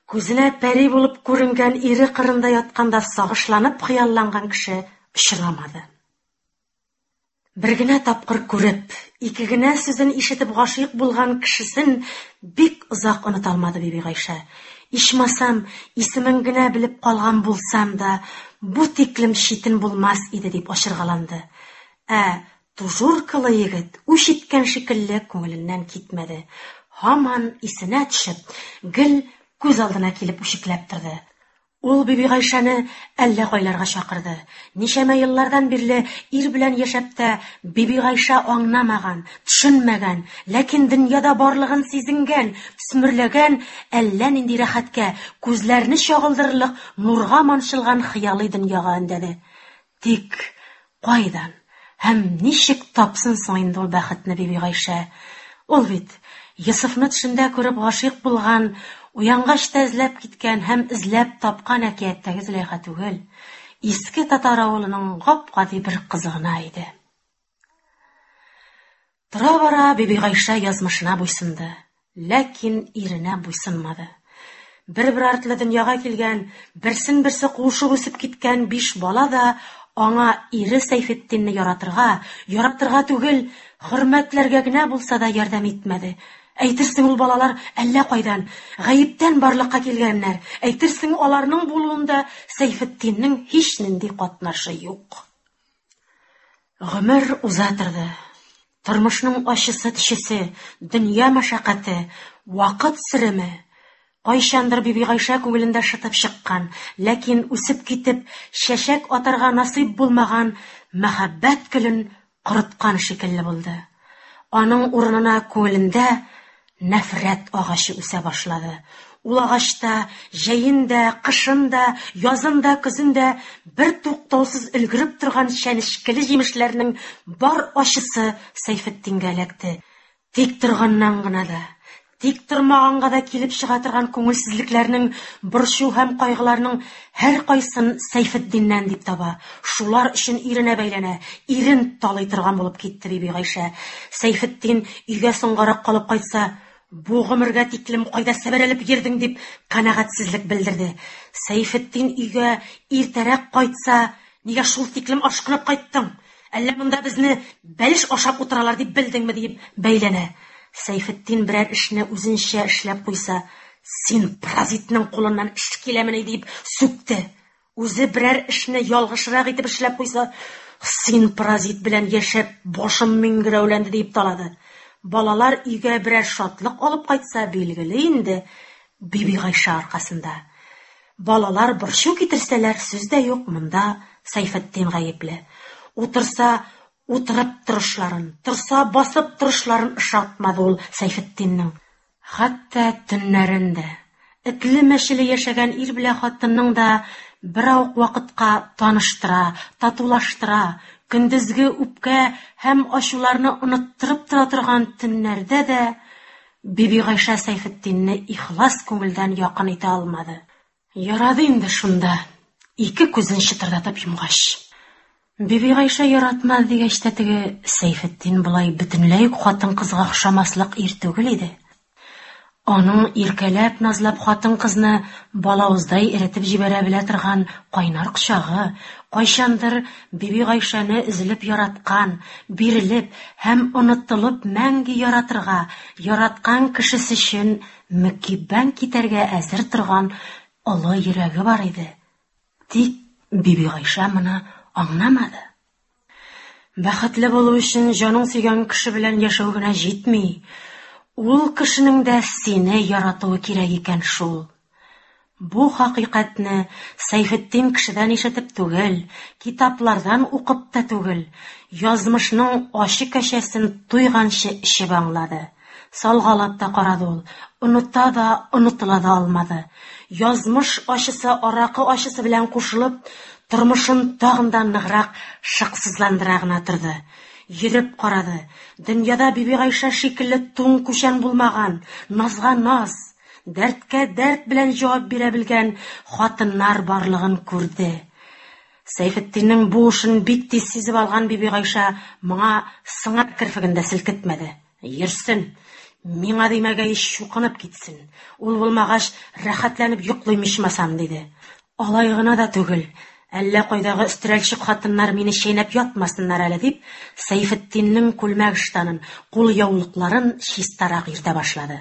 C: күзенә пәри булып күренгән ире кырында ятканда сагышланып хыялланган кеше очрамады. Бер генә тапкыр күреп, ике генә сүзен ишетеп гашыйк булган кешесен бик озак оныта алмады Бибигайшә. Ичмасам, исемен генә белеп калган булсам да, бу тиклем читен булмас иде дип ачыргаланды. Ә Тужуркалы егет үч иткән шикелле күңеленнән китмәде. Һаман исенә төшеп, гел күз алдына килеп үчекләп торды. Ул Бибигайшәне әллә кайларга чакырды. Ничәмә еллардан бирле ир белән яшәп тә Бибигайшә аңнамаган, төшенмәгән, ләкин дөньяда барлыгын сизенгән, төсмерләгән әллә нинди рәхәткә, күзләрне чагылдырырлык нурга манчылган хыялый дөньяга өндәде. Тик кайдан һәм ничек тапсын соң инде ул бәхетне Бибигайшә? Ул бит Йосыфны төшендә күреп гашыйк булган, уянгач та эзләп киткән һәм эзләп тапкан әкияттәге Зөләйха түгел, иске татар авылының гап-гади бер кызы гына иде. Тора-бара Бибигайшә язмышына буйсынды, ләкин иренә буйсынмады. Бер-бер артлы дөньяга килгән, берсен-берсе куышып үсеп киткән биш бала да аңа ире Сәйфетдинне яратырга, яратырга түгел, хөрмәтләргә генә булса да ярдәм итмәде. Әйтерсең ул балалар әллә кайдан, гаептән барлыкка килгәннәр, әйтерсең аларның булуында Сәйфетдиннең һичнинди катнашы юк. Гомер уза торды. Тормышның ачысы-төчесе, дөнья мәшәкате, вакыт сөреме, кайчандыр Бибигайшә күңелендә шытып чыккан, ләкин үсеп китеп, чәчәк атарга насыйп булмаган мәхәббәт көлен корыткан шикелле булды. Аның урынына күңелендә нәфрәт агачы үсә башлады. Ул агачта җәен дә, кышын да, язын да, көзен дә бер туктаусыз өлгереп торган чәнечкеле җимешләрнең бар ачысы Сәйфетдингә эләкте. Тик торганнан гына да, Тик тормаганга да килеп чыга торган күңелсезлекләрнең, борчу һәм кайгыларның һәркайсын Сәйфетдиннән дип таба. Шулар өчен иренә бәйләнә, ирен талый торган булып китте Бибигайшә. Сәйфетдин өйгә соңгарак калып кайтса, бу гомергә тиклем кайда сәбәләнеп йөрдең дип канәгатьсезлек белдерде. Сәйфетдин өйгә иртәрәк кайтса, нигә шул тиклем ашкынып кайттың? Әллә монда безне бәлеш ашап утыралар дип белдеңме диеп бәйләнә. Сәйфетдин берәр эшне үзенчә эшләп куйса, син паразитның кулыннан эш киләмени дип сүкте. Үзе берәр эшне ялгышрак итеп эшләп куйса, син паразит белән яшәп башым миңгерәүләнде диеп талады. Балалар өйгә берәр шатлык алып кайтса, билгеле инде, Бибигайшә аркасында. Балалар борчу китерсәләр, сүз дә юк, монда Сәйфетдин гаепле. Утырса, утырып торышларын, торса, басып торышларын ошатмады ул Сәйфетдиннең. Хәтта төннәрен дә, этле-мәчеле яшәгән ир белән хатынның да беравык вакытка таныштыра, татулаштыра, көндезге үпкә һәм ачуларны оныттырып тора торган төннәрдә дә Бибигайшә Сәйфетдинне ихлас күңелдән якын итә алмады. Ярады инде шунда, ике күзен чытырдатып йомгач. Бибигайшә яратмады дигәч тә теге Сәйфетдин болай бөтенләй үк хатын-кызга охшамаслык ир түгел иде. Аның иркәләп-назлап хатын-кызны балавыздай эретеп җибәрә белә торган кайнар кочагы, кайчандыр Бибигайшәне өзелеп яраткан, бирелеп һәм онытылып мәңге яратырга, яраткан кешесе өчен мөкиббән китәргә әзер торган олы йөрәге бар иде. Тик Бибигайшә моны аңламады. Бәхетле булу өчен җаның сөйгән кеше белән яшәү генә җитми. Ул кешенең дә сине яратуы кирәк икән шул. Бу хакыйкатьне Сәйфетдин кешедән ишетеп түгел, китаплардан укып та түгел, язмышның ачы кәшәсен туйганчы эчеп аңлады. Салгалап та карады ул, оныта да, онытыла да алмады. Язмыш ачысы аракы ачысы белән кушылып, тормышын тагын да ныграк шыксызландыра гына торды. Йөреп карады. Дөньяда Бибигайшә шикелле туң күчән булмаган, назга наз, дәрткә дәрт белән җавап бирә белгән хатыннар барлыгын күрде. Сәйфетдиннең бу эшен бик тиз сизеп алган Бибигайшә моңа сыңар керфеген дә селкетмәде. Йөрсен, миңа димәгәй чукынып китсен. Ул булмагач, рәхәтләнеп йоклыйм ичмасам, диде. Алай гына да түгел, әллә кайдагы өстерәлчек хатыннар мине чәйнәп ятмасыннар әле дип, Сәйфетдиннең күлмәк-ыштанын, кулъяулыкларын чистарак йөртә башлады.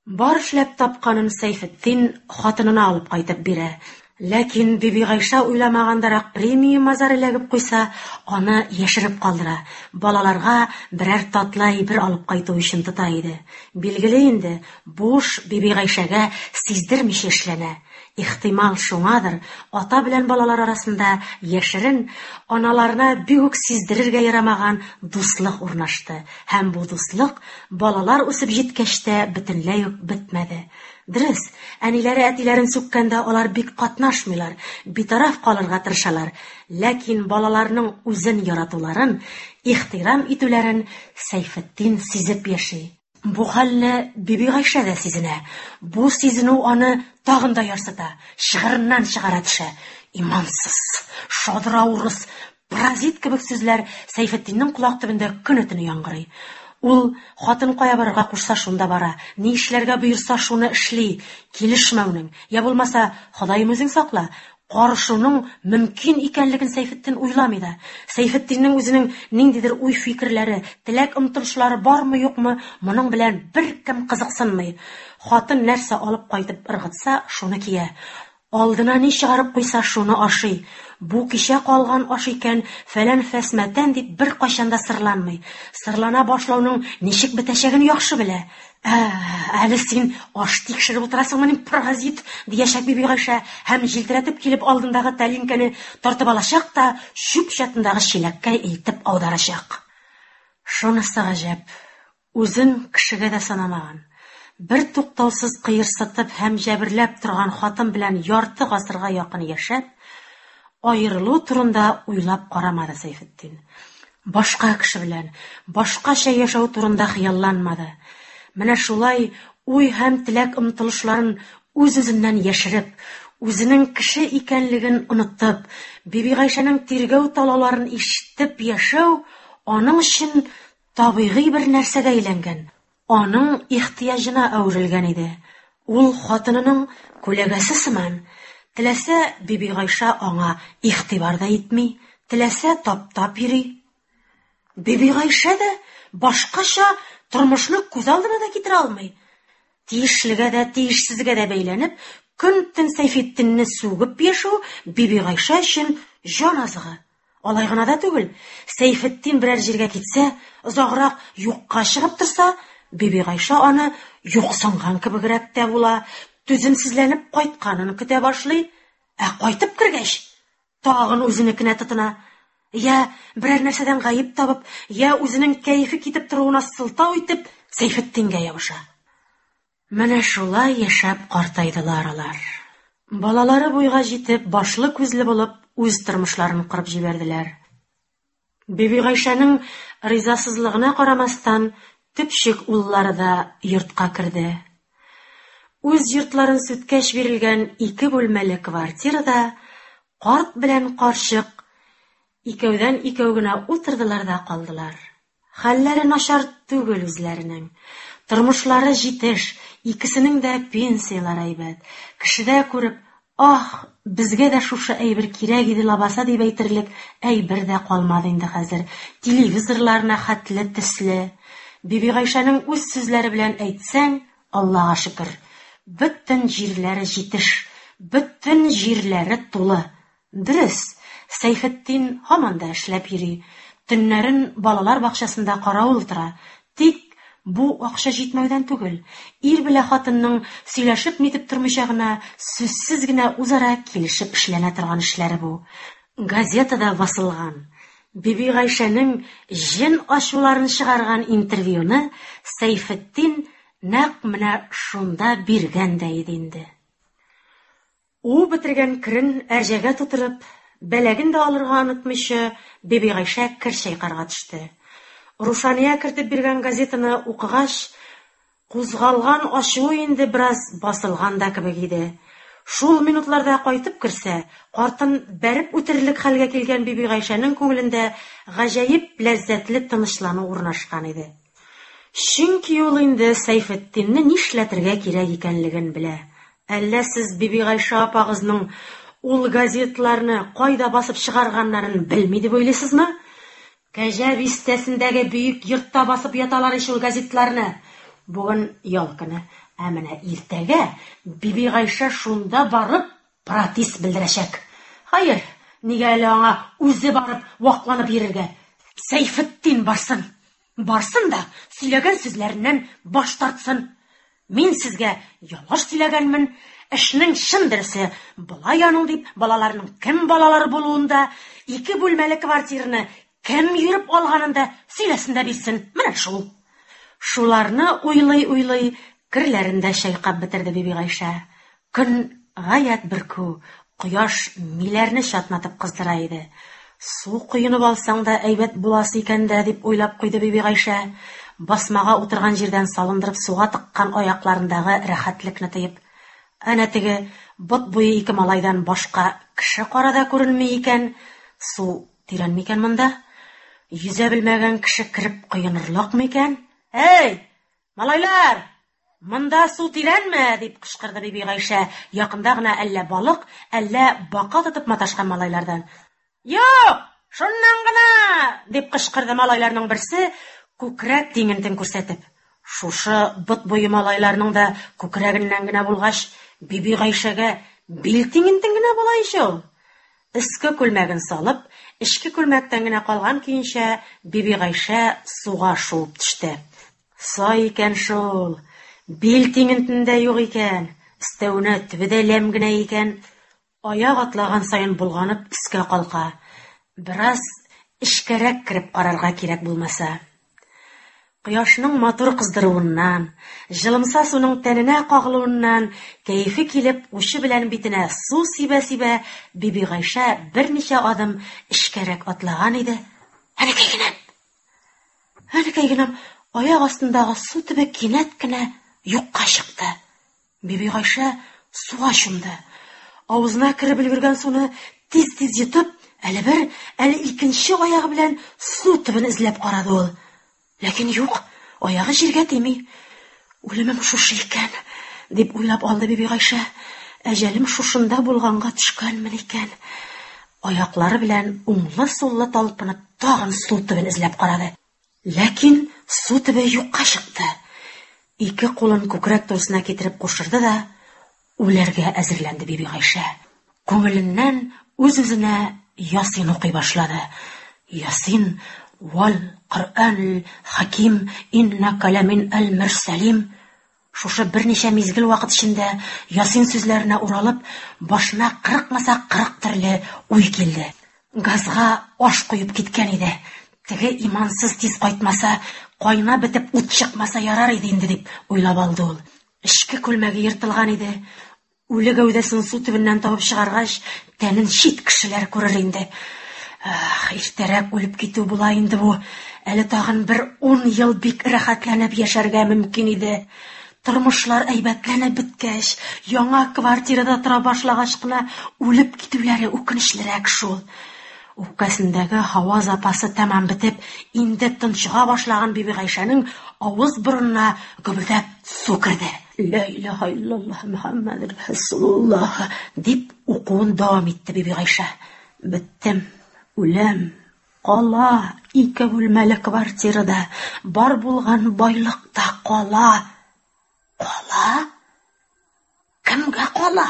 C: Бар эшләп тапканын Сәйфетдин хатынына алып кайтып бирә. Ләкин Бибигайшә уйламагандарак премия-мазар эләгеп куйса, аны яшереп калдыра, балаларга берәр татлы әйбер алып кайту өчен тота иде. Билгеле инде, бу эш Бибигайшәгә сиздермичә эшләнә. Ихтимал, шуңадыр, ата белән балалар арасында яшерен, аналарына бик үк сиздерергә ярамаган дуслык урнашты. Һәм бу дуслык балалар үсеп җиткәч тә бөтенләй үк бетмәде. Дөрес, әниләре әтиләрен сүккәндә алар бик катнашмыйлар, битараф калырга тырышалар. Ләкин балаларның үзен яратуларын, ихтирам итүләрен Сәйфетдин сизеп яши. Бу хәлне Бибигайшә дә сизенә. Бу сизенү аны тагын да ярсыта, чыгырыннан чыгара төшә. Имансыз, шадра урыс, паразит кебек сүзләр Сәйфетдиннең колак төбендә көне-төне яңгырый. Ул хатын кая барырга кушса, шунда бара, ни эшләргә боерса, шуны эшли. Килешмәүнең, я булмаса, Ходаем үзең сакла, карышуның мөмкин икәнлеген Сәйфетдин уйламый да. Сәйфетдиннең үзенең ниндидер уй-фикерләре, теләк-омтылышлары бармы-юкмы, моның белән беркем кызыксынмый. Хатын нәрсә алып кайтып ыргытса, шуны кия. Алдына ни чыгарып куйса, шуны ашый. Бу кичә калган аш икән, фәлән фәсмәтән дип беркайчан да сырланмый. Сырлана башлауның ничек бетәчәген яхшы белә. Ә, әле син аш тикшереп утырасыңмыни, паразит, диячәк Бибигайшә һәм җилтерәтеп килеп алдындагы тәлинкәне тартып алачак та чүп чатындагы чиләккә илтеп аударачак. Шунысы гаҗәп, үзен кешегә дә санамаган, бер туктаусыз кыерсытып һәм җәберләп торган хатын белән ярты гасырга якын яшәп, аерылу турында уйлап карамады Сәйфетдин. Башка кеше белән, башкача яшәү турында хыялланмады. Менә шулай уй һәм теләк-омтылышларын үз-үзеннән яшереп, үзенең кеше икәнлеген онытып, Бибигайшәнең тиргәү-талауларын ишетеп яшәү аның өчен табигый бер нәрсәгә әйләнгән, аның ихтыяҗына әверелгән иде. Ул хатынының күләгәсе сыман, теләсә Бибигайшә аңа игътибар да итми, теләсә таптап йөри. Бибигайшә дә башкача тормышны күз алдына да китерә алмый. Тиешлегә дә, тиешсезгә дә бәйләнеп, көн-төн Сәйфетдинне сүгеп яшәү Бибигайшә өчен җан азыгы. Алай гына да түгел, Сәйфетдин берәр җиргә китсә, озаграк юкка чыгып торса, Бибигайшә аны юксынган кебегрәк тә була, түземсезләнеп кайтканын көтә башлый. Ә кайтып кергәч, Тагын үзенекенә тотына. Я берәр нәрсәдән гаеп табып, я үзенең кәефе китеп торуына сылтау итеп, Сәйфетдингә ябыша. Менә шулай яшәп картайдылар алар. Балалары буйга җитеп, башлы-күзле булып, үз тормышларын корып җибәрделәр. Бибигайшәнең ризасызлыгына карамастан, төпчек уллары да йортка керде. Үз йортларын сүткәч бирелгән ике бүлмәле квартирада карт белән карчык икәүдән-икәү генә утырдылар да калдылар. Хәлләре начар түгел үзләренең. Тормышлары җитеш, икесенең дә пенсияләре әйбәт. Кешедә күреп, Аһ, безгә дә шушы әйбер кирәк иде лабаса дип әйтерлек әйбер дә калмады инде хәзер. Телевизорларына хәтле төсле. Бибигайшәнең үз сүзләре белән әйтсәң, Аллага шөкер, бөтен җирләре җитеш, бөтен җирләре тулы. Дөрес, Сәйфетдин һаман да эшләп йөри, төннәрен балалар бакчасында каравыл тора. Тик бу акча җитмәүдән түгел, ир белә хатынның сөйләшеп-нитеп тормыйча гына, сүзсез генә үзара килешеп эшләнә торган эшләре бу. Газетада басылган, Бибигайшәнең җен ачуларын чыгарган интервьюны Сәйфетдин нәкъ менә шунда биргән дә иде инде. Уып бетергән керен әрҗәгә тутырып, бәләген дә алырга онытмыйча, Бибигайшә кер чайкарга төште. Рушания кертеп биргән газетаны укыгач, кузгалган ачуы инде бераз басылган да кебек иде. Шул минутларда кайтып керсә, картын бәреп үтерерлек хәлгә килгән Бибигайшәнең күңелендә гаҗәеп ләззәтле тынычлану урнашкан иде. Чөнки ул инде Сәйфетдинне нишләтергә кирәк икәнлеген белә. Әллә сез Бибигайшә апагызның ул газетларны кайда басып чыгарганнарын белми дип уйлыйсызмы? Кәҗә бистәсендәге бөек йортта басып яталар ич ул газетларны. Бүген ял көне. Ә менә иртәгә Бибигайшә шунда барып протест белдерәчәк. Хәер, нигә әле аңа үзе барып вакланып йөрергә? Сәйфетдин барсын. Барсын да сөйләгән сүзләреннән баш тартсын. Мин сезгә ялгыш сөйләгәнмен, эшнең чын дөресе болай аның дип, балаларның кем балалары булуын да, ике бүлмәле квартираны кем йөреп алганын да сөйләсен дә бирсен. Менә шул. Шуларны уйлый-уйлый керләрен дә чайкап бетерде Бибигайшә. Көн гаять бөркү, кояш миләрне чатнатып кыздыра иде. Су коенып алсаң да әйбәт буласы икән дә, дип уйлап куйды Бибигайшә, басмага утырган җирдән салындырып суга тыккан аякларындагы рәхәтлекне тоеп. Әнә теге бот буе ике малайдан башка кеше-кара да күренми икән. Су тирән микән монда? Йөзә белмәгән кеше кереп коенырлык микән? Әй, малайлар! Монда су тирәнме? дип кычкырды Бибигайшә, якында гына әллә балык, әллә бака тотып маташкан малайлардан. Юк, шуннан гына! дип кычкырды малайларның берсе, күкрәк тиңентен күрсәтеп. Шушы бот буе малайларның да күкрәгеннән генә булгач, Бибигайшәгә бил тиңентен генә була ич ул. Өске күлмәген салып, эчке күлмәктән генә калган көенчә Бибигайшә суга шуып төште. Сай икән шул, бил тиңентендә юк икән, өстәвенә төбе дә ләм генә икән. Аяк атлаган саен болганып өскә калка. Бераз эчкәрәк кереп карарга кирәк булмаса. Кояшның матур кыздыруыннан, җылымса суның тәненә кагылуыннан кәефе килеп, учы белән битенә су сибә-сибә, Бибигайшә берничә адым эчкәрәк атлаган иде, Әнекәй генәм! Әнекәй генәм! Аяк астындагы су төбе кинәт кенә юкка чыкты. Бибигайшә суга чумды. Авызына кереп өлгергән суны тиз-тиз йотып, әле бер, әле икенче аягы белән су төбен эзләп карады ул. Ләкин юк, аягы җиргә тими. Үлемем шушы икән, дип уйлап алды Бибигайшә. Әҗәлем шушында булганга төшкәнмен икән. Аяклары белән уңлы-суллы талпынып тагын су төбен эзләп карады. Ләкин су төбе юкка чыкты. Ике кулын күкрәк турысына китереп кушырды да, үләргә әзерләнде Бибигайшә. Күңеленнән үз-үзенә Ясин укый башлады. Ясин вал Коръән хаким иннәкә ләмин әл-мөрсәлим. Шушы берничә мизгел вакыт эчендә Ясин сүзләренә уралып, башына кырыкмаса кырык төрле уй килде. Газга аш куеп киткән иде. Теге имансыз тиз кайтмаса, кайнап бетеп ут чыкмаса ярар иде инде дип уйлап алды ул. Эчке күлмәге ертылган иде. Үле гәүдәсен су төбеннән табып чыгаргач, тәнен чит кешеләр күрер инде. Ах, иртәрәк үлеп китү була инде бу. Әле тагын бер 10 ел бик рәхәтләнеп яшәргә мөмкин иде. Тормышлар әйбәтләнеп беткәч, яңа квартирада тора башлагач кына үлеп китүләре үкенечлерәк шул. Үпкәсендәге һава запасы тәмам бетеп, инде тончыга башлаган Бибигайшәнең авыз борынына гөбердәп су керде. Ла илаһа иллаллаһ Мухаммадур Расулуллаһ дип укуын дәвам итте Бибигайшә. Беттем, үләм, кала ике бүлмәле квартирада бар булган байлык та кала. Кала? Кемгә кала?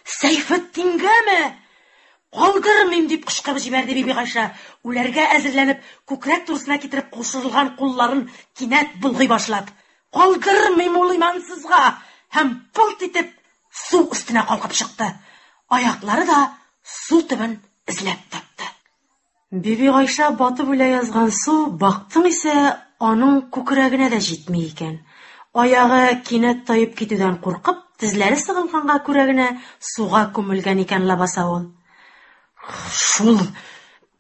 C: Сәйфетдингәме? Калдырмыйм дип кычкырып җибәрде Бибигайшә. Үләргә әзерләнеп, күкрәк турысына китереп кушырылган кулларын кинәт болгый башлап. Калдырмыйм ул имансызга! Һәм пылт итеп су өстенә калкып чыкты. Аяклары да су төбен эзләп тапты. Бибигайшә батып үлә язган су, бактың исә, аның күкрәгенә дә җитми икән. Аягы кинәт таеп китүдән куркып, тезләре сыгылганга күрә генә суга күмелгән икән лабаса ул. Шул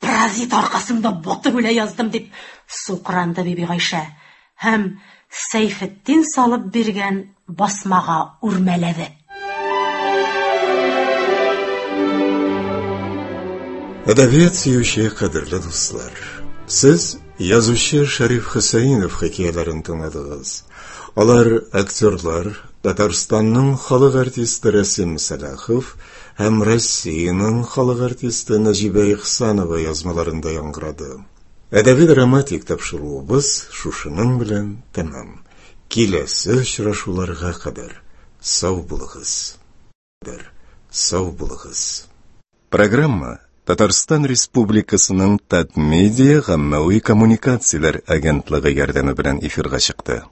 C: паразит аркасында батып үлә яздым дип сукранды Бибигайшә һәм Сәйфетдин салып биргән басмага үрмәләде.
A: Әдәбият сөюче кадерле дуслар, сез язучы Шәриф Хөсәенов хикәяләрен тыңладыгыз. Алар актерлар, Татарстанның халык артисты Рәсим Сәлахов һәм Россиянең халык артисты Нәҗибә Ихсанова язмаларында яңгырады. Әдәби-драматик тапшыруыбыз шушының белән тәмам. Киләсе очрашуларга кадәр сау булыгыз. Сау булыгыз. Программа Татарстан Республикасының Татмедиа гаммәви коммуникацияләр агентлыгы ярдәме белән эфирга чыкты.